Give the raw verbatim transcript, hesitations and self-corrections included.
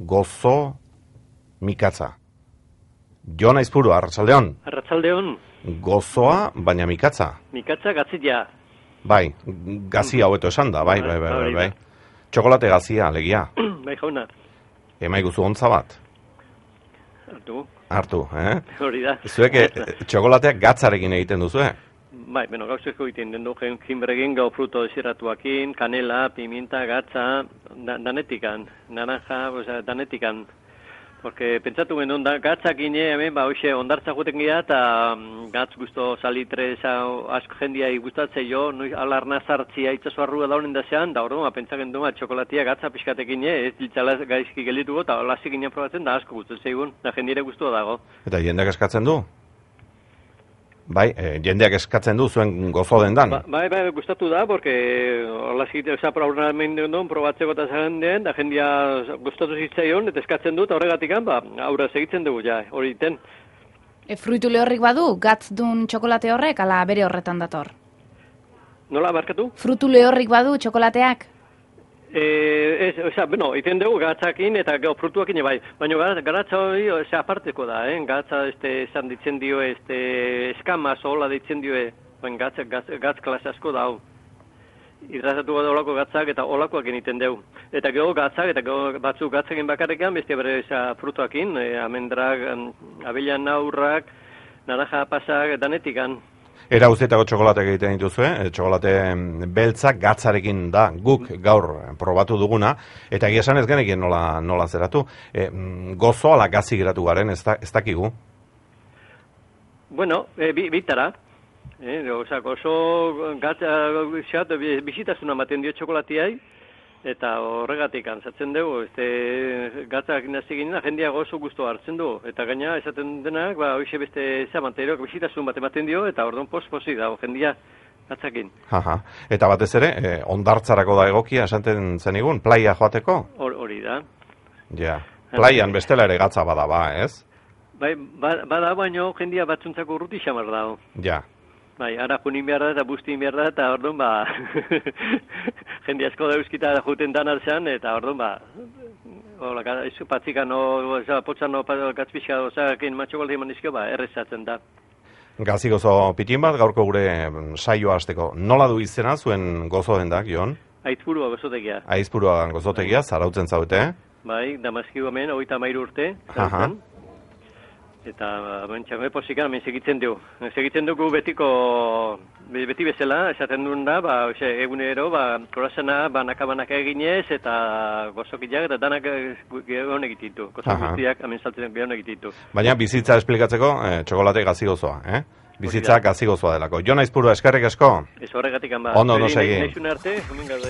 gozo, mikatza. Jon Aizpuru, arratsaldeon. Arratsaldeon. Gozoa, baina mikatza. Mikatza gatzia. Bai, gazia hobeto esan da, bai, bai, bai, bai, bai. Txokolate gazia, alegia. Bai, jauna. Emaiguzu ontza bat. Hartu. Hartu, eh? Hori da. Zuek txokolateak gatzarekin egiten duzu, eh? Bai, bueno, gauzeko egiten den du, jinbregin, gau fruto desiratuakin, kanela, pimienta, gatza, da, danetikan, naranja, oza, danetikan. Porque pentsatu genuen, da, gatzak ine, hemen, ba, hoxe, ondartza juten gira, eta gatz guzto salitre, asko jendia gustatzei jo, noi alarna zartzia itzazu arrua daunen da zean, da hori, pentsatzen duen, txokolatia gatza pixkatekin, ez diltzala gaizki gelituko, eta lasik ginen probatzen, da asko gustatzen egun, da jendire guztua dago. Eta jendeak eskatzen du? Bai, eh, jendeak eskatzen du zuen gozo dendan. Ba, bai, bai, gustatu da, porque hola zite, oza, programen duen, probatzeko eta zaren den, da jendia gustatu zitzaion, eta eskatzen dut, horregatik, ba, aurra segitzen dugu, ja, hori iten. E, fruitu lehorrik badu, gatz dun txokolate horrek, ala bere horretan dator? Nola, barkatu? Fruitu lehorrik badu txokolateak? Eh, ez, oza, bueno, iten dugu gatzakin eta gau frutuakin bai, baina garatza hori, oza, aparteko da, eh? Gatza, este, esan ditzen dio, este, eskama, zola ditzen dio, ben, gatz, gatz, gatz klase asko da, hau. Hidratatu da olako gatzak eta olakoak egiten dugu. Eta gero gatzak, eta gero batzuk gatzakin bakarrekan, beste bere, eza, frutuakin, eh, amendrak, abelan aurrak, naranja pasak, danetikan. Era guztietako txokolateak egiten dituzue, eh? Txokolate beltzak gatzarekin da guk gaur probatu duguna, eta egia esan ez genekin nola, nola zeratu. E, gozo ala gazi geratu garen, ez, da, ez dakigu? Bueno, e, bi, bitara. Eh, oza, gozo gatza, bizitasuna maten dio txokolatiai, eta horregatik antzatzen dugu, este, gatzak nazi ginen, jendia gozo guztu hartzen du, eta gaina esaten denak, ba, hoxe beste zamanteroak bizitasun bat ematen dio, eta orduan pos-posi dago jendia gatzakin. Aha. Eta batez ere, eh, ondartzarako da egokia esaten zenigun, playa joateko? Hori da. Ja, playan bestela ere gatza bada ba, ez? Bai, bada baino jendia batzuntzako urruti xamar dago. Ja. Bai, ara junin behar da eta bustin behar da, eta orduan, ba, jende asko da euskita juten dan alzean, eta orduan, ba, hola, izu patzikan, oza, potzan, gatzpizka, oza, kein matxokolde eman izkio, ba, errezatzen da. Gazi gozo pitin bat, gaurko gure saioa hasteko. Nola du izena zuen gozo dendak, Jon? Aizpurua gozotegia. Aizpurua gozotegia, zarautzen zaute, eh? Bai, Damaskiu hemen, hogeita hamairu urte, zarautzen. Eta, bentsak, posikan, hemen segitzen dugu. Segitzen dugu betiko, beti bezala, esaten duen da, ba, ose, egunero, ba, korazena, banaka-banaka eginez, eta gozokiak, eta danak gehon egititu. Gozo guztiak, hemen saltzen gehon egititu. Baina bizitza esplikatzeko, eh, txokolate gazi gozoa, eh? Bizitza gazi gozoa delako. Jon Aizpuru, eskerrik asko? Ez horregatik, ba. Ondo, no segi. Neixun arte, hemen gaude.